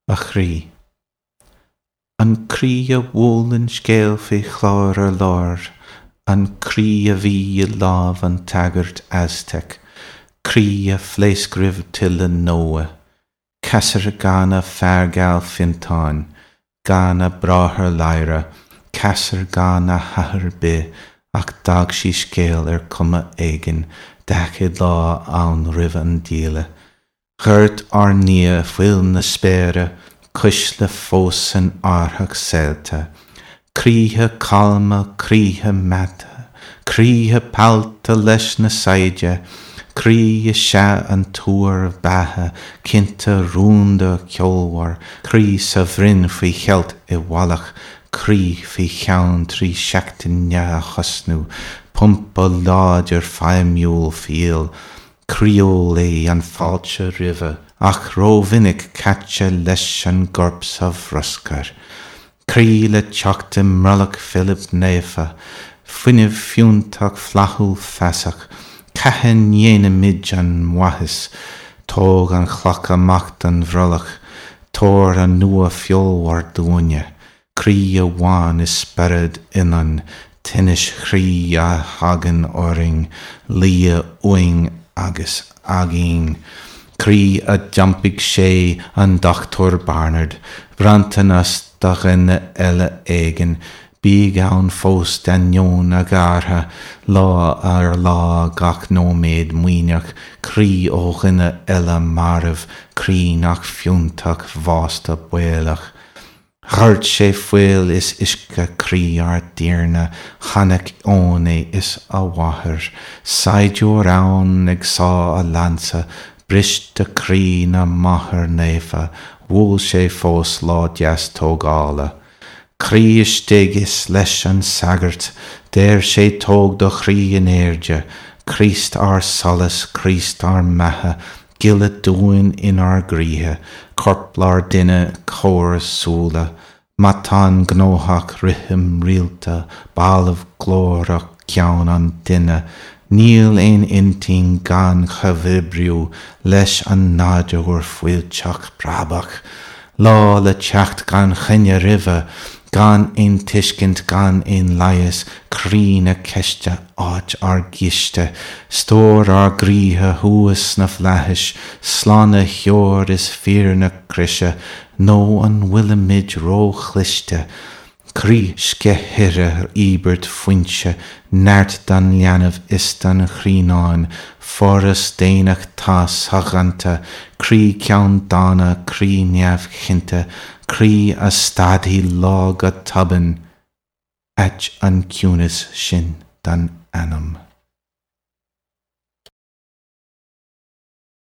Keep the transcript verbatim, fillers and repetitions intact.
A chroí. An croí a bhuaileann scéal faoi chlár ar lár, an croí a bhí i lámh an tsagairt Aztec, croí a phléasc roimh tuile Noah, ceasair gan a fear geal Fiontáin, gan a bráthair Lyra, ceasair gan a hathair bith, ach d'fhág sí scéal ar chuma éigin daichead lá ann roimh an díle. Dhoirt ár nDia fuil na spéire, cuisle fós san árthach saolta, croíthe calma, croíthe meata, croíthe pollta leis na saighde, croí is ea an tuar beatha, cinnte rúnda ceolmhar, croí sa bhroinn faoi cheilt i bhfalach, croí faoi cheann trí seachtaine a thosnú, pumpa láidir feidhmiúil fial, Croíúil é an fáilte roimhe, ach rómhinic caite leis an gcorp sa bhruscar. Croí le teacht i mbrollach Philib Naofa, fuinneamh fiúntach flaithiúil feasach, cathain ndéanaimid an mhaitheas? Tóg an chloch amach den bhrollach, tabhair an nua feolmhar dúinne. Croí amháin is spiorad ionainn, tinnis chroí a thagann orainn, luí uainn agus againn. Croí a d'iompaigh sé an Dochtúir Barnard, bronntanas do dhuine eile éigin, bíodh ann fós d'ainneoin a ghearrtha, lá ar lá gach nóiméad maoithneach, croí ó dhuine eile marbh, croí nach fiúntach bhásta baolach. Dhoirt sé fuil is uisce croí ár dTiarna, chonaic Eoin é is a mháthair, saighdiúir ann ag sá a lansa, briste croí na Máthar Naofa, bhuail sé fós lá deas tógála. Croí istigh is leis an sagart, deir sé tóg do chroí in airde, Críost ár solas, Críost ár mbeatha, gile dúinn inár gcroíthe, corplár duine, comhar súile, matán gnóthach, rithim rialta, balbh glórach ceann an duine, níl aon intinn gan chomhoibriú leis an nádúr fuilteach preabach, lá le teacht gan choinne roimhe, gan aon tuiscint gan aon leigheas, croí na ceiste, áit ár gciste, stór ár gcroíthe thuas sna flaithis, slánaitheoir is fíor na croise, nó an bhfuilimid róchliste? Croí sceithire íobairt foinse neart don leanbh is don chrianán, foras daonnachta soghonta, croí ceanndána, croí neamhchinnte, croí a stadfaidh lá go tobann, ait an ciúnas sin don anam.